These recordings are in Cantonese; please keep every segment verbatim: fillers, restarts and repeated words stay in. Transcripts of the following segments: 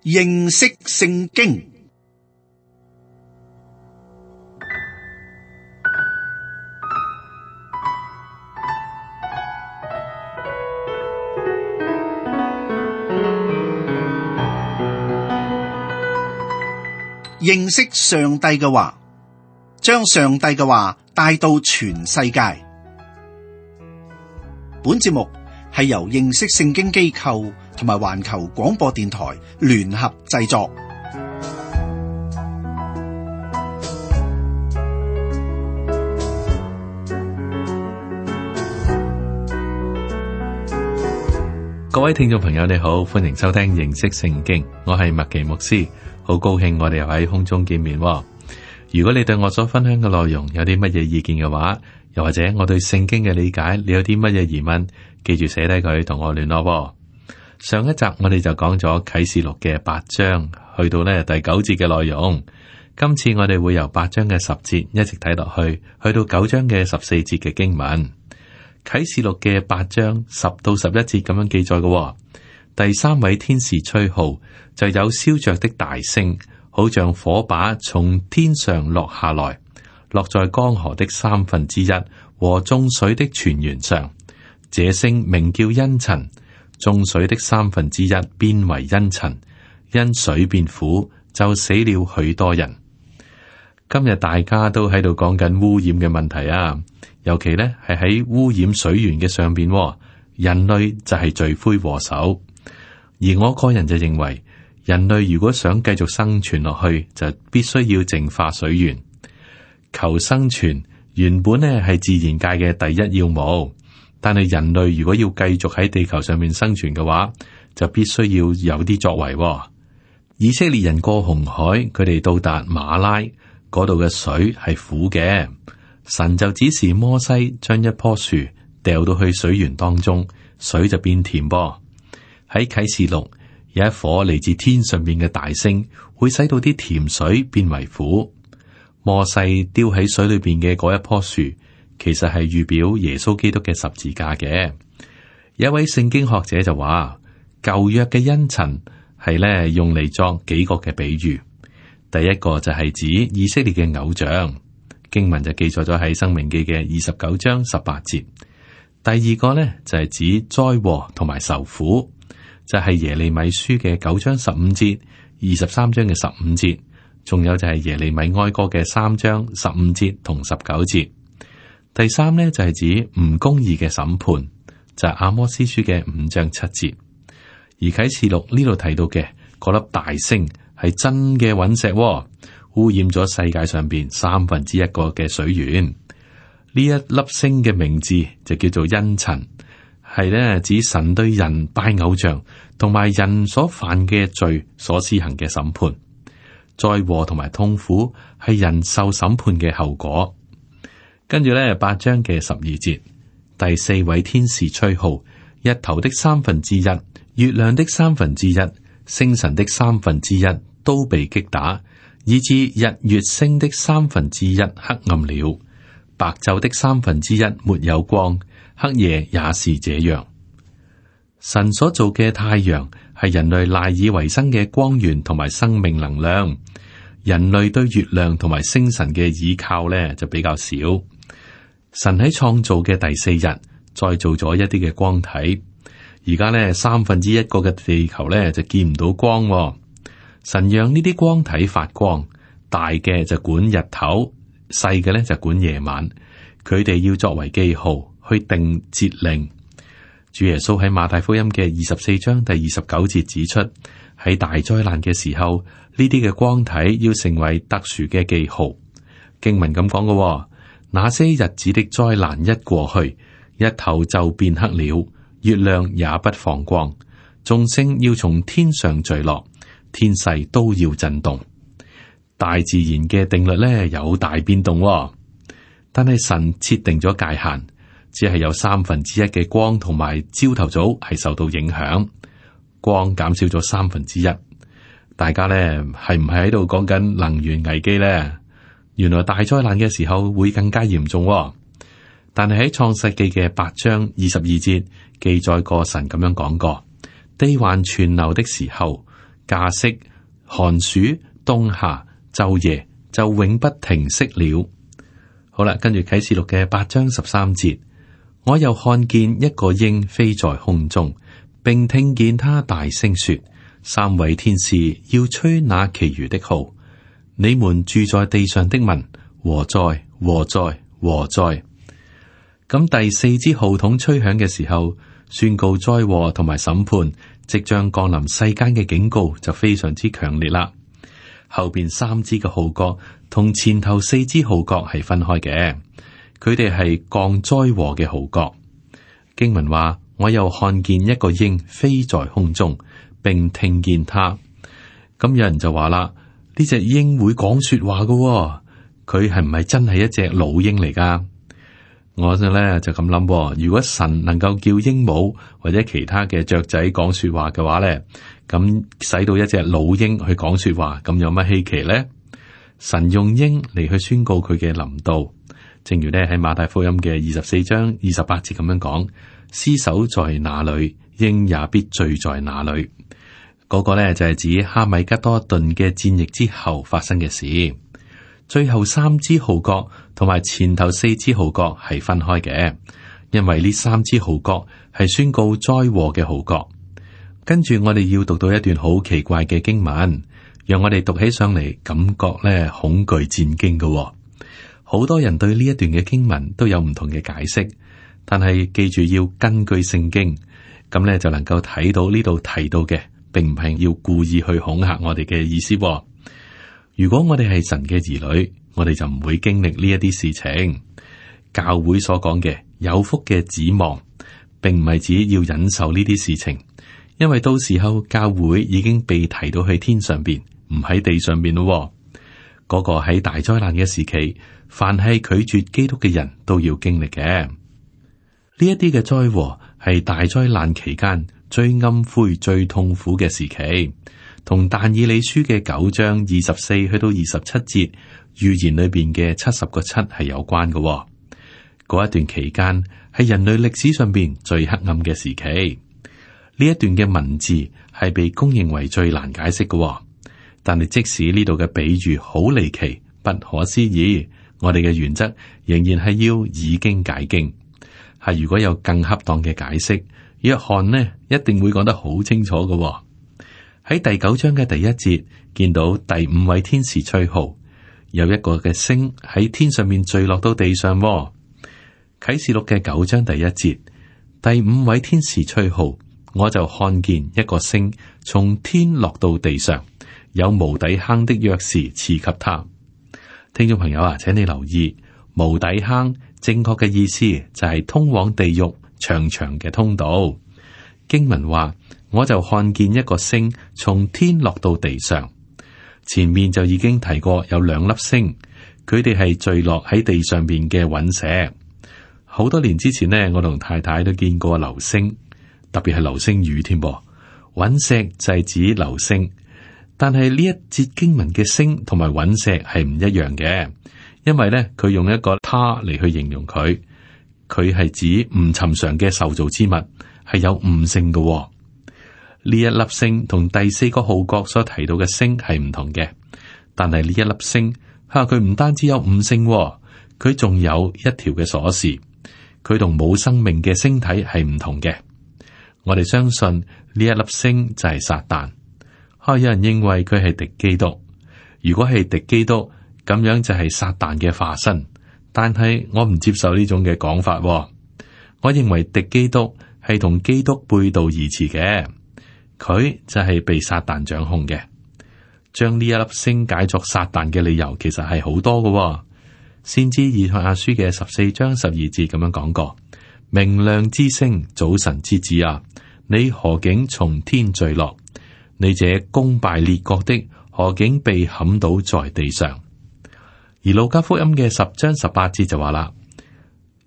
認識聖經。認識上帝嘅話，將上帝嘅話帶到全世界。本節目係由認識聖經機構同埋環球廣播電台聯合製作。各位聽眾朋友，你好，歡迎收聽認識聖經，我係麥奇牧師，好高興我哋又喺空中見面。如果你對我所分享嘅內容有啲乜嘢意見嘅話，又或者我對聖經嘅理解，你有啲乜嘢疑問，記住寫低佢同我聯絡。上一集我哋就講咗啟示錄嘅八章，去到呢第九節嘅內容。今次我哋會由八章嘅十節一直睇落去，去到九章嘅十四節嘅經文。啟示錄嘅八章十到十一節咁樣記載嘅，第三位天使吹號，就有燒着的大星，好像火把從天上落下來，落在江河的三分之一和眾水的泉源上。這星名叫茵蔯，眾水的三分之一變為茵蔯，因水變苦，就死了許多人。今日大家都喺度講緊污染嘅問題啊，尤其呢係喺污染水源嘅上邊，人類就係罪魁禍首。而我個人就認為，人類如果想繼續生存落去，就必須要淨化水源。求生存原本呢係自然界嘅第一要務，但係人類如果要繼續喺地球上面生存嘅話，就必須要有啲作為。以色列人過紅海，佢哋到達馬拉嗰度嘅水係苦嘅，神就指示摩西將一棵樹掉到去水源當中，水就變甜噃。喺啟示錄有一顆嚟自天上邊嘅大星，會使到啲甜水變為苦。摩西丟喺水裏邊嘅嗰一棵樹，其實係預表耶穌基督嘅十字架嘅。有一位聖經學者就話，舊約嘅茵蔯係咧用嚟作幾個嘅比喻。第一個就係指以色列嘅偶像，經文就記載咗喺申命記嘅二十九章十八節。第二個呢，就係指災禍同埋受苦，就係耶利米書嘅九章十五節、二十三章嘅十五節，仲有就係耶利米哀歌嘅三章十五節同十九節。第三呢，就係指唔公義嘅審判，就係阿摩司書嘅五章七節。而啟示錄呢度提到嘅嗰粒大星係真嘅隕石，污染咗世界上邊三分之一個嘅水源。呢一粒星嘅名字就叫做茵蔯，係咧指神對人拜偶像同埋人所犯嘅罪所施行嘅審判。災禍同埋痛苦係人受審判嘅後果。跟住咧八章嘅十二節，第四位天使吹號，日頭的三分之一、月亮的三分之一、星辰的三分之一都被擊打，以致日月星的三分之一黑暗了，白晝的三分之一沒有光，黑夜也是這樣。神所做嘅太陽係人類賴以為生嘅光源同埋生命能量，人類對月亮同埋星辰嘅倚靠呢就比較少。神喺創造嘅第四日再做咗一啲嘅光體，而家呢三分之一個嘅地球呢就見唔到光喎。神讓呢啲光體發光，大嘅就管日頭，細嘅咧就管夜晚。佢哋要作為記號去定節令。主耶穌喺馬太福音嘅二十四章第二十九節指出，喺大災難嘅時候，呢啲嘅光體要成為特殊嘅記號。經文咁講嘅，那些日子的災難一過去，日頭就變黑了，月亮也不放光，眾星要從天上墜落，天勢都要震動。大自然嘅定律咧有大變動，但係神設定咗界限，只係有三分之一嘅光同埋朝頭早係受到影響，光減少咗三分之一。大家咧係唔係喺度講緊能源危機咧？原來大災難嘅時候會更加嚴重，但係喺創世記嘅八章二十二節記載過神咁樣講過：地還存留的時候，假釋、寒暑、冬夏、晝夜就永不停息了。好啦，跟住啟示錄嘅八章十三節，我又看見一個鷹飛在空中，並聽見他大聲說：三位天使要吹那其餘的號，你們住在地上的民，禍哉，禍哉，禍哉！咁第四支號筒吹響嘅時候，宣告災禍同埋審判即將降臨世間嘅警告就非常之強烈啦。後邊三支嘅號角同前頭四支號角係分開嘅，佢哋係降災禍嘅號角。經文話：我又看見一個鷹飛在空中，並聽見他。咁有人就話啦，呢隻鷹會講說話嘅、哦，佢係唔係真係一隻老鷹嚟噶？我咧就咁諗，如果神能夠叫鸚鵡或者其他嘅雀仔講說話嘅話咧，咁使到一隻老鷹去講說話，咁有乜稀奇咧？神用鷹嚟去宣告佢嘅臨到，正如咧喺馬太福音嘅二十四章二十八節咁樣講：屍首在哪裏，鷹也必聚在哪裏。嗰、那個咧就係指哈米吉多頓嘅戰役之後發生嘅事。最後三支號角同埋前頭四支號角係分開嘅，因為呢三支號角係宣告災禍嘅號角。跟住我哋要讀到一段好奇怪嘅經文，讓我哋讀起上嚟感覺咧恐懼戰驚嘅。好多人對呢一段嘅經文都有唔同嘅解釋，但係記住要根據聖經，咁咧就能夠睇到呢度提到嘅，並唔係要故意去恐嚇我哋嘅意思。如果我哋係神嘅兒女，我哋就唔會經歷呢一啲事情。教會所講嘅有福嘅指望，並唔係指要忍受呢啲事情，因為到時候教會已經被提到去天上邊，唔喺地上邊咯。嗰個喺大災難嘅時期，凡係拒絕基督嘅人都要經歷嘅。呢一啲嘅災禍係大災難期間最暗灰、最痛苦嘅時期。同但以理書嘅九章二十四去到二十七節預言裏邊嘅七十個七係有關嘅、哦。嗰一段期間係人類歷史上邊最黑暗嘅時期。呢一段嘅文字係被公認為最難解釋嘅、哦。但係即使呢度嘅比喻好離奇、不可思議，我哋嘅原則仍然係要以經解經。係如果有更恰當嘅解釋，約翰呢一定會講得好清楚嘅、哦。喺第九章嘅第一節，見到第五位天使吹號，有一個嘅星喺天上面墜落到地上、哦。啟示錄嘅九章第一節，第五位天使吹號，我就看見一個星從天落到地上，有無底坑的鑰匙賜給他。聽眾朋友啊，請你留意，無底坑正確嘅意思就係通往地獄長長嘅通道。經文話，我就看見一個星從天落到地上，前面就已經提過有兩粒星，佢哋係墜落喺地上邊嘅隕石。好多年之前呢，我同太太都見過流星，特別係流星雨添噃。隕石就係指流星，但係呢一節經文嘅星同埋隕石係唔一樣嘅，因為呢，佢用一個他嚟去形容佢，佢係指唔尋常嘅受造之物，係有悟性嘅、哦。呢一粒星同第四個號角所提到嘅星係唔同嘅，但係呢一粒星吓，佢唔單止有悟性、哦，佢仲有一條嘅鎖匙，佢同冇生命嘅星體係唔同嘅。我哋相信呢一粒星就係撒旦。吓、啊，有人認為佢係敵基督，如果係敵基督，咁樣就係撒旦嘅化身。但係我唔接受呢種嘅講法、哦，我認為敵基督係同基督背道而馳嘅。佢就係被撒旦掌控嘅，將呢一粒星解作撒旦嘅理由，其實係好多嘅、哦。先知以賽亞書嘅十四章十二節咁樣講過：明亮之星，早晨之子啊，你何竟從天墜落？你這攻敗列國的，何竟被砍倒在地上？而路加福音嘅十章十八節就話啦：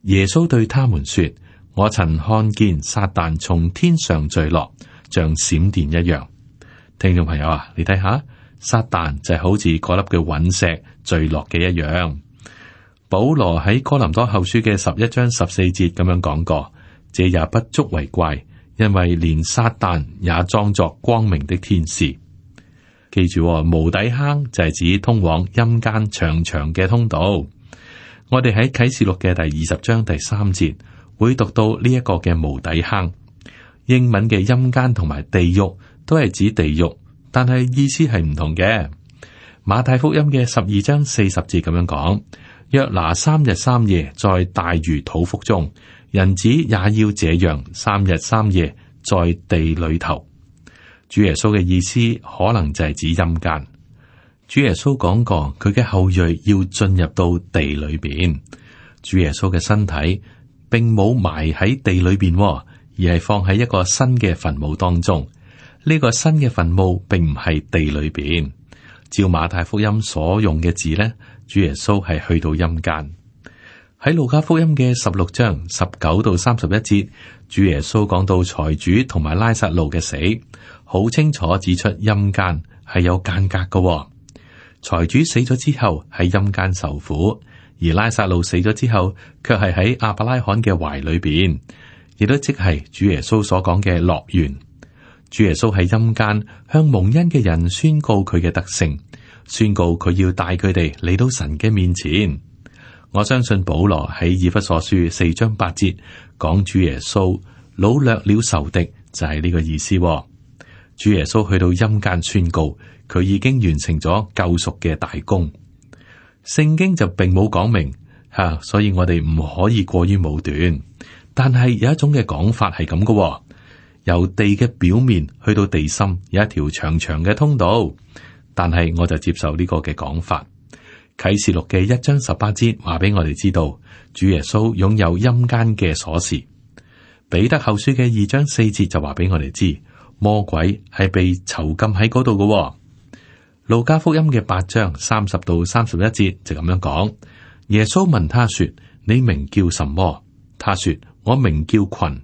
耶穌對他們說，我曾看見撒旦從天上墜落，像閃電一樣。聽眾朋友啊，你睇下，撒旦就係好似嗰粒嘅隕石墜落嘅一樣。保羅喺哥林多後書嘅十一章十四節咁樣講過，這也不足為怪，因為連撒旦也裝作光明的天使。記住喎，無底坑就係指通往陰間長長嘅通道。我哋喺啟示錄嘅第二十章第三節會讀到呢一個嘅無底坑。英文嘅陰間同埋地獄都係指地獄，但係意思係唔同嘅。馬太福音嘅十二章四十節咁樣講：約拿三日三夜在大魚肚腹中，人子也要這樣三日三夜在地裏頭。主耶穌嘅意思可能就係指陰間。主耶穌講過，佢嘅後裔要進入到地裏邊。主耶穌嘅身體並冇埋喺地裏邊，而係放喺一個新嘅墳墓當中。呢個新嘅墳墓並唔係地裏邊。照馬太福音所用嘅字呢，主耶穌係去到陰間。喺路加福音嘅十六章十九到三十一節，主耶穌講到財主同埋拉撒路嘅死，好清楚指出陰間係有間隔嘅、哦。財主死咗之後喺陰間受苦，而拉撒路死咗之後卻係喺亞伯拉罕嘅懷裏邊，亦都即係主耶穌所講嘅樂園。主耶穌喺陰間向蒙恩嘅人宣告佢嘅德性，宣告佢要帶佢哋嚟到神嘅面前。我相信保羅喺以弗所書四章八節講主耶穌擄掠了仇敵，就係呢個意思、哦。主耶穌去到陰間宣告，佢已經完成咗救贖嘅大功。聖經就並冇講明吓、啊，所以我哋唔可以過於武斷。但係有一種嘅講法係咁嘅，由地嘅表面去到地心有一條長長嘅通道。但係我就接受呢個嘅講法。啟示錄嘅一章十八節話俾我哋知道，主耶穌擁有陰間嘅鎖匙。彼得後書嘅二章四節就話俾我哋知，魔鬼係被囚禁喺嗰度嘅。路加福音嘅八章三十到三十一節就咁樣講。耶穌問他說：你名叫什麼？他說：我名叫群。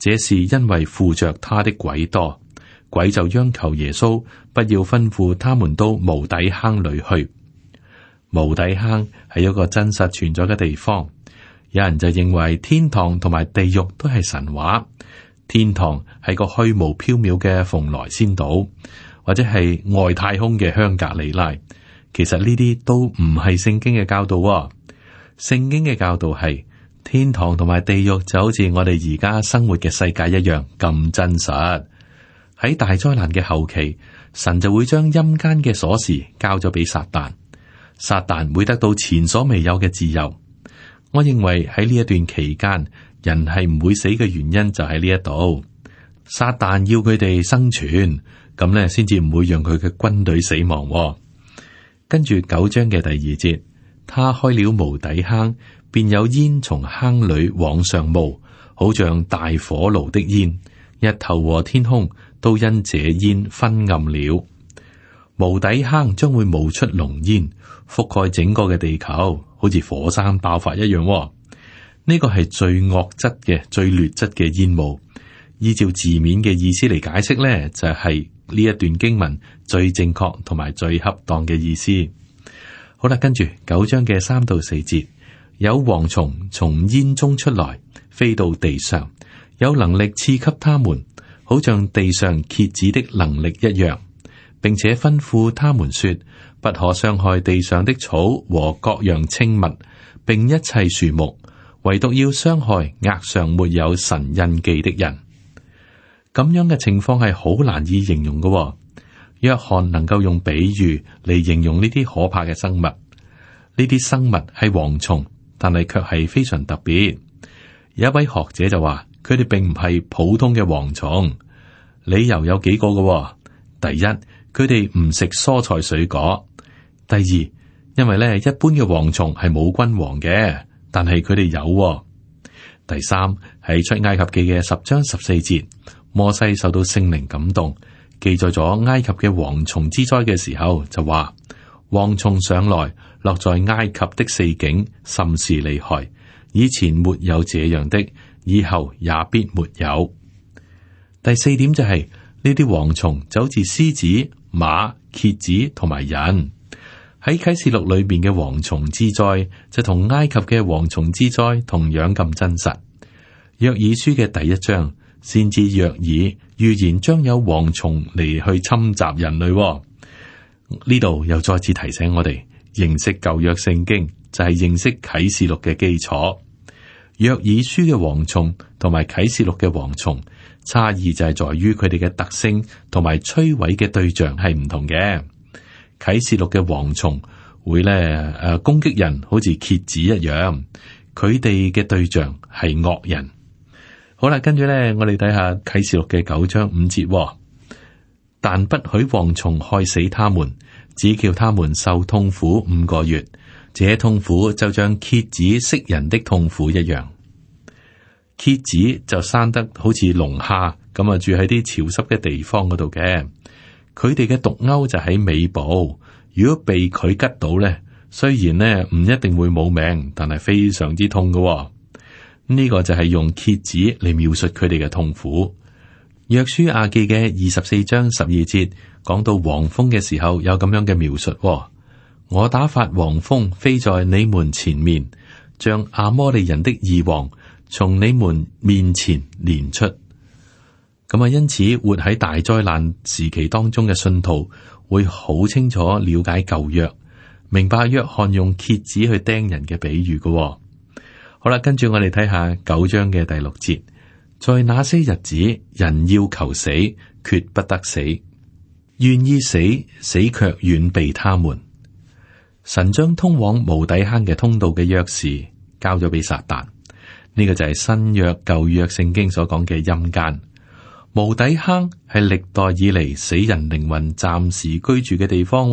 這是因為附着他的鬼多。鬼就央求耶穌不要吩咐他們到無底坑裏去。無底坑係一個真實存在嘅地方。有人就認為天堂同埋地獄都係神話。天堂係個虛無縹緲嘅蓬萊仙島，或者係外太空嘅香格里拉。其實呢啲都唔係聖經嘅教導喎。聖經嘅教導係天堂同埋地獄就好似我哋而家生活嘅世界一樣咁真實。喺大災難嘅後期，神就會將陰間嘅鎖匙交咗俾撒旦。撒旦會得到前所未有嘅自由。我認為喺呢一段期間，人係唔會死嘅原因就喺呢一度。撒旦要佢哋生存，咁咧先至唔會讓佢嘅軍隊死亡喎。跟住九章嘅第二節，他開了無底坑，便有煙從坑裏往上冒，好像大火爐的煙，日頭和天空都因這煙昏暗了。無底坑將會冒出濃煙，覆蓋整個嘅地球，好似火山爆發一樣、哦。呢個係最惡質嘅、最劣質嘅煙霧。依照字面嘅意思嚟解釋呢，就係、是、呢一段經文最正確同埋最恰當嘅意思。好啦，跟住九章嘅三到四節，有蝗蟲從煙中出來，飛到地上，有能力賜給他們，好像地上蠍子的能力一樣。並且吩咐他們說，不可傷害地上的草和各樣青物，並一切樹木，唯獨要傷害額上沒有神印記的人。咁樣嘅情況係好難以形容嘅、哦。約翰能夠用比喻嚟形容呢啲可怕嘅生物。呢啲生物係蝗蟲，但係卻係非常特別。有一位學者就話，佢哋並唔係普通嘅蝗蟲。理由有幾個嘅、哦。第一，佢哋唔食蔬菜水果。第二，因為咧一般嘅蝗蟲係冇君王嘅，但係佢哋有、哦。第三，喺出埃及記嘅十章十四節，摩西受到聖靈感動，記載咗埃及嘅蝗蟲之災嘅時候，就話蝗蟲上來落在埃及的四境，甚是厲害，以前沒有這樣的，以後也必沒有。第四點就係、是。呢啲蝗蟲就好似獅子、馬、蠍子同埋人。喺啟示錄裏邊嘅蝗蟲之災就同埃及嘅蝗蟲之災同樣咁真實。約珥書嘅第一章，先知約珥預言將有蝗蟲嚟去侵襲人類、哦。呢度又再次提醒我哋，認識舊約聖經就係認識啟示錄嘅基礎。約珥書嘅蝗蟲同埋啟示錄嘅蝗蟲差異就係在於佢哋嘅特性同埋摧毀嘅對象係唔同嘅。啟示錄嘅蝗蟲會咧誒攻擊人，好似蠍子一樣，佢哋嘅對象係惡人。好啦，跟住咧我哋睇下啟示錄嘅九章五節，哦，但不許蝗蟲害死他們，只叫他們受痛苦五個月。這痛苦就像蠍子食人的痛苦一樣。蠍子就生得好似龍蝦咁啊，住喺啲潮濕嘅地方嗰度嘅。佢哋嘅毒鈎就喺尾部，如果被佢吉到咧，雖然咧唔一定會冇命，但係非常之痛嘅。呢個就係用蠍子嚟描述佢哋嘅痛苦。約書亞記嘅二十四章十二節講到黃蜂嘅時候，有咁樣嘅描述。我打發黃蜂飛在你們前面，將亞摩利人的二王從你們面前攆出。咁啊，因此活喺大災難時期當中嘅信徒會好清楚了解舊約，明白約翰用蠍子去釘人嘅比喻嘅。好啦，跟住我哋睇下九章嘅第六節，在那些日子，人要求死，決不得死；願意死，死卻遠避他們。神將通往無底坑嘅通道嘅鑰匙交咗俾撒旦，呢、這個就係新約舊約聖經所講嘅陰間。無底坑係歷代以嚟死人靈魂暫時居住嘅地方。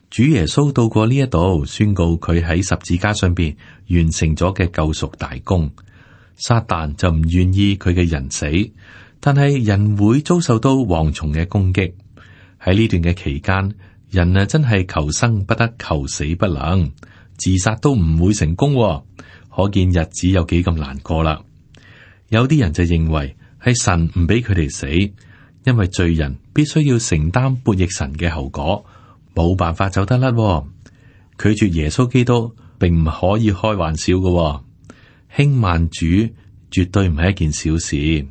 主耶穌到過呢一度，宣告佢喺十字架上邊完成咗嘅救贖大功。撒旦就唔願意佢嘅人死，但係人會遭受到蝗蟲嘅攻擊。喺呢段嘅期間，人啊真係求生不得，求死不能，自殺都唔會成功，可見日子有幾咁難過啦。有啲人就認為係神唔俾佢哋死，因為罪人必須要承擔悖逆神嘅後果，冇辦法走得甩。拒絕耶穌基督並唔可以開玩笑嘅，輕慢主絕對唔係一件小事。誒、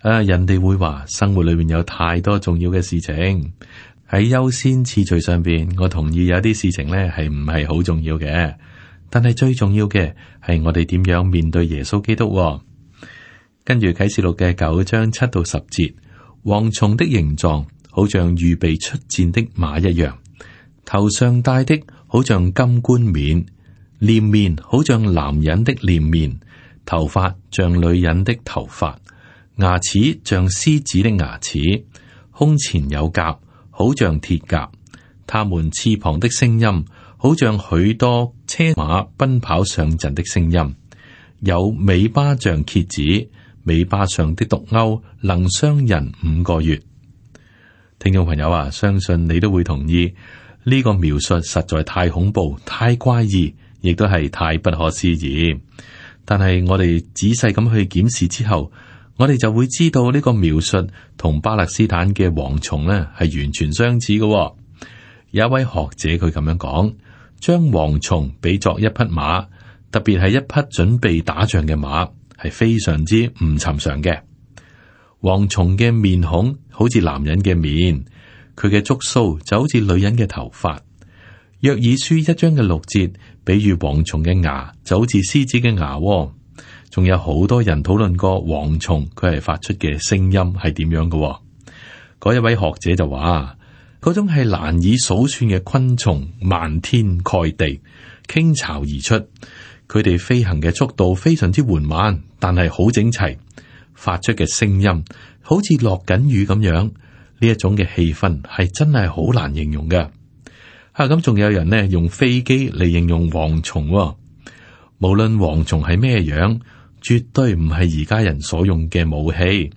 啊，人哋會話生活裏面有太多重要嘅事情。喺優先次序上邊，我同意有啲事情咧係唔係好重要嘅，但係最重要嘅係我哋點樣面對耶穌基督。跟住啟示錄嘅九章七到十節，蝗蟲的形狀好像預備出戰的馬一樣，頭上戴的好像金冠冕，臉面好像男人的臉面，頭髮像女人的頭髮，牙齒像獅子的牙齒，胸前有甲，好像鐵甲，他們翅膀的聲音好像許多車馬奔跑上陣的聲音，有尾巴像蠍子，尾巴上的毒鈎能傷人五個月。聽眾朋友啊，相信你都會同意呢個描述實在太恐怖、太怪異，亦都係太不可思議。但係我哋仔細咁去檢視之後，我哋就會知道呢個描述同巴勒斯坦嘅蝗蟲呢係完全相似嘅，哦。有一位學者佢咁樣講，將蝗蟲比作一匹馬，特別係一匹準備打仗嘅馬，係非常之唔尋常嘅。蝗蟲嘅面孔好似男人嘅面，佢嘅觸鬚就好似女人嘅頭髮。約珥書一章嘅六節，比喻蝗蟲嘅牙就好似獅子嘅牙，哦。仲有好多人討論過蝗蟲佢係發出嘅聲音係點樣嘅，哦。嗰一位學者就話，嗰種係難以數算嘅昆蟲，漫天蓋地，傾巢而出。佢哋飛行嘅速度非常之緩慢，但係好整齊，發出嘅聲音好似落緊雨咁樣。呢一種嘅氣氛係真係好難形容嘅。啊，咁仲有人呢用飛機嚟形容蝗蟲，哦。無論蝗蟲係咩樣，絕對唔係而家人所用嘅武器，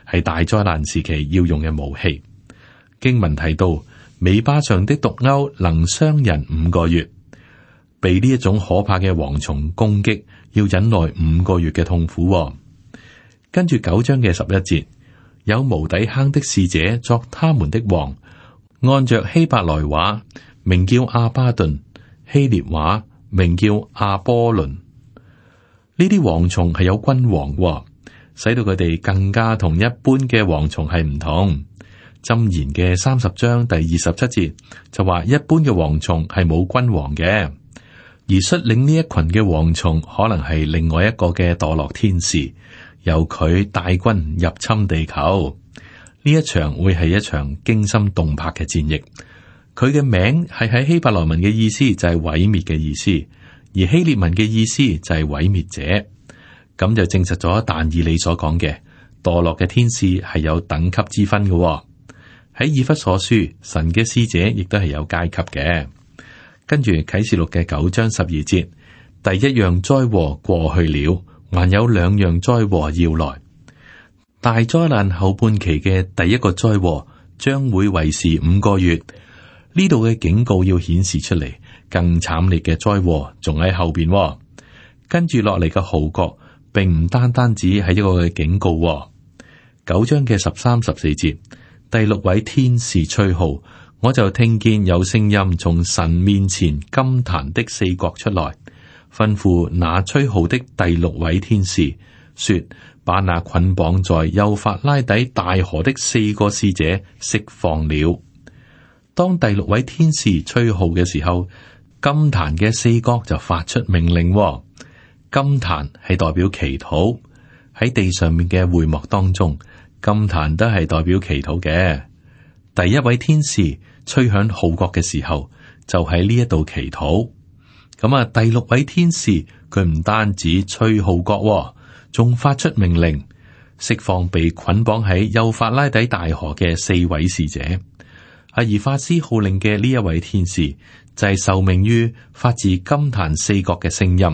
係大災難時期要用嘅武器。經文提到，尾巴上的毒鈎能傷人五個月，被呢一種可怕嘅蝗蟲攻擊，要忍耐五個月嘅痛苦，哦。跟住九章嘅十一節，有無底坑的使者作他們的王，按着希伯來話名叫阿巴頓，希列話名叫阿波倫。呢啲蝗蟲係有君王，使到佢哋更加同一般嘅蝗蟲係唔同。箴言嘅三十章第二十七節就話，一般嘅蝗蟲係冇君王嘅，而率領呢一群嘅蝗蟲可能係另外一個嘅墮落天使，由佢帶軍入侵地球。呢一場會係一場驚心動魄嘅戰役。佢嘅名係喺希伯來文嘅意思就係毀滅嘅意思，而希列文嘅意思就係毀滅者。咁就證實咗但以理所講嘅墮落嘅天使係有等級之分嘅、哦。喺以弗所書，神嘅使者亦都係有階級嘅。跟住啟示錄嘅九章十二節，第一樣災禍過去了，還有兩樣災禍要來。大災難後半期嘅第一個災禍將會維持五個月。呢度嘅警告要顯示出嚟，更慘烈嘅災禍仲喺後邊、哦。跟住落嚟嘅號角，並唔單單只係一個嘅警告、哦。九章嘅十三、十四節，第六位天使吹號，我就聽見有聲音從神面前金壇的四角出來，吩咐那吹號的第六位天使說：把那捆綁在幼發拉底大河的四個使者釋放了。當第六位天使吹號嘅時候，金壇嘅四角就發出命令、哦。金壇係代表祈禱，喺地上面嘅會幕當中，金壇都係代表祈禱嘅。第一位天使吹響號角嘅時候，就喺呢一度祈禱。咁啊，第六位天使佢唔單止吹號角，仲發出命令，釋放被捆綁喺幼發拉底大河嘅四位使者。阿而發施號令嘅呢一位天使就係受命於發自金壇四角嘅聲音，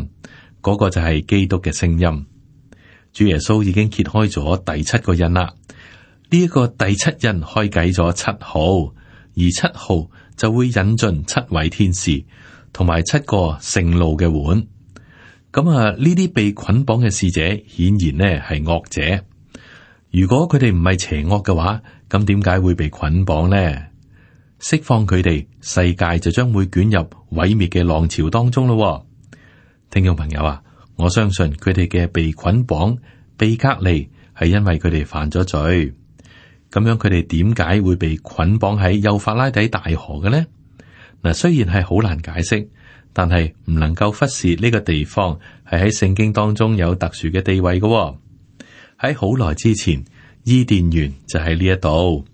嗰、那個就係基督嘅聲音。主耶穌已經揭開咗第七個印啦，呢、這、一個第七印開啟咗七號，而七號就會引進七位天使同埋七個盛怒嘅碗。咁啊，呢啲被捆綁嘅使者顯然呢係惡者。如果佢哋唔係邪惡嘅話，咁點解會被捆綁呢？釋放佢哋，世界就將會捲入毀滅嘅浪潮當中咯。聽眾朋友啊，我相信佢哋嘅被捆綁、被隔離，係因為佢哋犯咗罪。咁樣佢哋點解會被捆綁喺幼發拉底大河嘅呢？嗱，雖然係好難解釋，但係唔能夠忽視呢個地方係喺聖經當中有特殊嘅地位嘅。喺好耐之前，伊甸園就喺呢一度。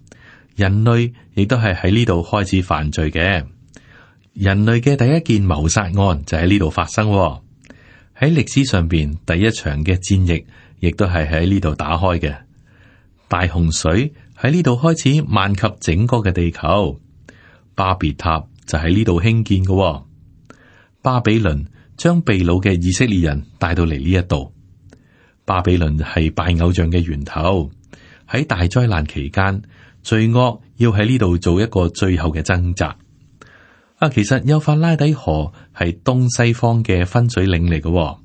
人類亦都係喺呢度開始犯罪嘅。人類嘅第一件謀殺案就喺呢度發生。喺歷史上邊，第一場嘅戰役亦都係喺呢度打開嘅。大洪水喺呢度開始漫及整個嘅地球。巴別塔就喺呢度興建嘅。巴比倫將被擄嘅以色列人帶到嚟呢一度。巴比倫係拜偶像嘅源頭。喺大災難期間，罪惡要喺呢度做一個最後嘅掙扎。啊，其實幼發拉底河係東西方嘅分水嶺嚟嘅。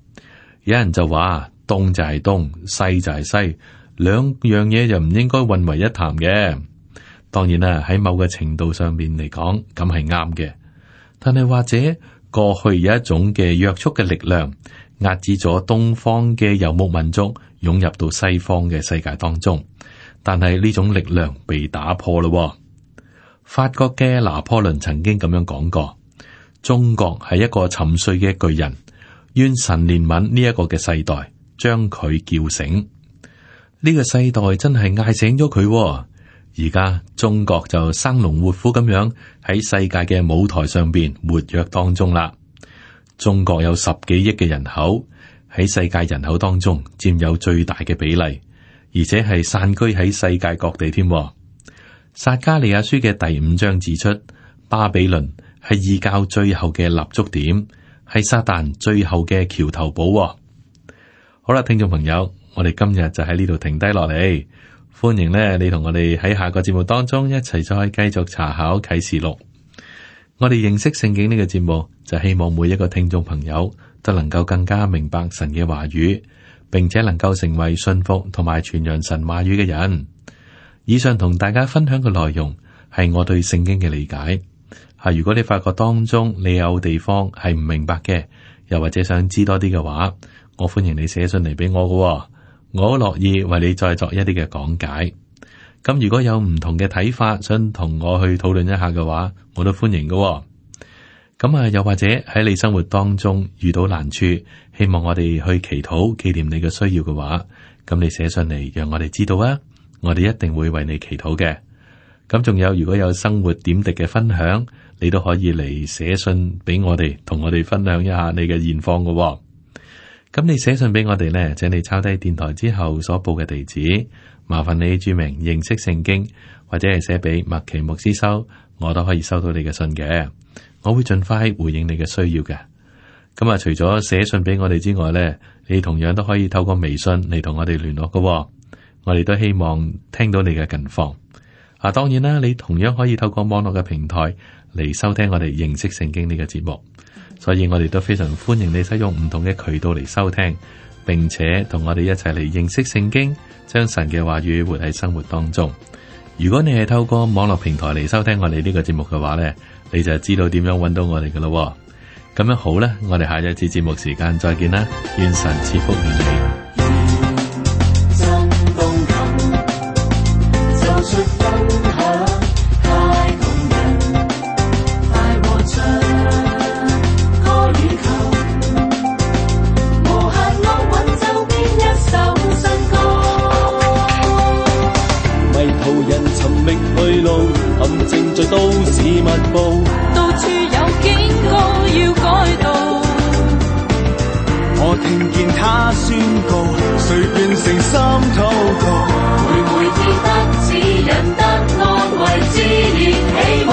有人就話東就係東，西就係西，兩樣嘢就唔應該混為一談嘅。當然啦，喺某個程度上面嚟講，咁係啱嘅。但係或者過去有一種嘅約束嘅力量，壓制咗東方嘅游牧民族湧入到西方嘅世界當中。但係呢種力量被打破咯。法國嘅拿破崙曾經咁樣講過：中國係一個沉睡嘅巨人，願神憐憫呢一個嘅世代，將佢叫醒。呢個世代真係嗌醒咗佢。而家中國就生龍活虎咁樣喺世界嘅舞台上邊活躍當中啦。中國有十幾億嘅人口，喺世界人口當中佔有最大嘅比例。而且係散居喺世界各地添。撒迦利亞書嘅第五章指出，巴比倫係異教最後嘅立足點，係撒旦最後嘅橋頭堡。好啦，聽眾朋友，我哋今日就喺呢度停低落嚟。歡迎咧，你同我哋喺下個節目當中一齊再繼續查考啟示錄。我哋認識聖經呢個節目，就希望每一個聽眾朋友都能夠更加明白神嘅話語，並且能夠成為信服同埋傳揚神話語嘅人。以上同大家分享嘅內容係我對聖經嘅理解。係如果你發覺當中你有地方係唔明白嘅，又或者想知多啲嘅話，我歡迎你寫信嚟俾我嘅，我好樂意為你再作一啲嘅講解。咁如果有唔同嘅睇法，想同我去討論一下嘅話，我都歡迎嘅喎。咁啊，又或者喺你生活當中遇到難處，希望我哋去祈禱紀念你嘅需要嘅話，咁你寫上嚟讓我哋知道啊，我哋一定會為你祈禱嘅。咁仲有，如果有生活點滴嘅分享，你都可以嚟寫信俾我哋，同我哋分享一下你嘅現況嘅喎。咁你寫信俾我哋呢，請你抄低電台之後所報嘅地址，麻煩你注明認識聖經，或者係寫俾麥奇牧師收，我都可以收到你嘅信嘅。我會盡快回應你嘅需要嘅。咁啊，除咗寫信俾我哋之外呢，你同樣都可以透過微信嚟同我哋聯絡嘅喎。我哋都希望聽到你嘅近況。啊，當然啦，你同樣可以透過網絡嘅平台嚟收聽我哋認識聖經呢個節目。所以我哋都非常歡迎你使用唔同嘅渠道嚟收聽，並且同我哋一齊嚟認識聖經，將神嘅話語活喺生活當中。如果你係透過網絡平台嚟收聽我哋呢個節目嘅話呢，你就知道點樣揾到我哋噶咯。咁樣好啦，我哋下一次節目時間再見啦，願神賜福於你。都市密布，到處有警告要改道。我聽見他宣告，誰變成心禱告，每每記得指引得安慰，自然起舞。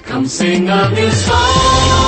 琴聲壓了手。